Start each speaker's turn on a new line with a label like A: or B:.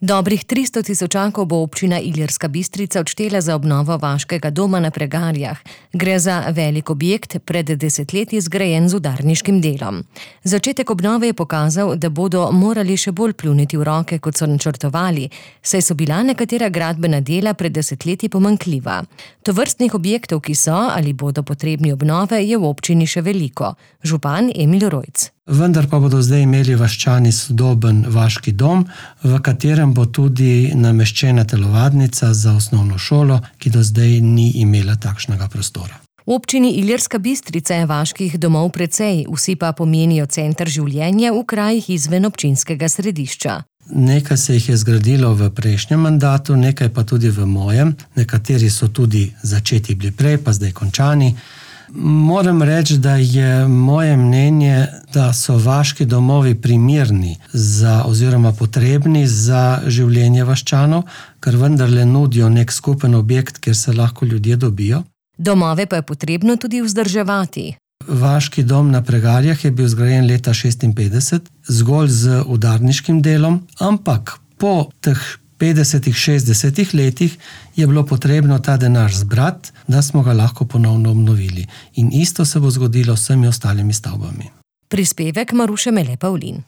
A: Dobrih 300 tisočakov bo občina Ilirska Bistrica odštela za obnovo vaškega doma na Pregarjah. Gre za velik objekt, pred desetletji zgrajen z udarniškim delom. Začetek obnove je pokazal, da bodo morali še bolj pljuniti v roke, kot so načrtovali, saj so bila nekatera gradbena dela pred desetletji pomanjkljiva. Tovrstnih objektov, ki so ali bodo potrebni obnove, je v občini še veliko. Župan Emil Rojc.
B: Vendar pa bodo zdaj imeli vaščani sodoben vaški dom, v katerem bo tudi nameščena telovadnica za osnovno šolo, ki do zdaj ni imela takšnega prostora.
A: V občini Ilirska Bistrica je vaških domov precej, vsi pa pomenijo center življenja v krajih izven občinskega središča.
B: Nekaj se jih je zgradilo v prejšnjem mandatu, nekaj pa tudi v mojem. Nekateri so tudi začeti bili prej, pa zdaj končani. Moram reči, da je moje mnenje, da so vaški domovi primerni oziroma potrebni za življenje vaščanov, ker vendarle nudijo nek skupen objekt, kjer se lahko ljudje dobijo.
A: Domove pa je potrebno tudi vzdrževati.
B: Vaški dom na Pregarjah je bil zgrajen leta 1956, zgolj z udarniškim delom, ampak po teh 50-60 letih je bilo potrebno ta denar zbrati, da smo ga lahko ponovno obnovili. In isto se bo zgodilo s vsemi ostalimi stavbami.
A: Prispevek Maruše Mele Pavlin.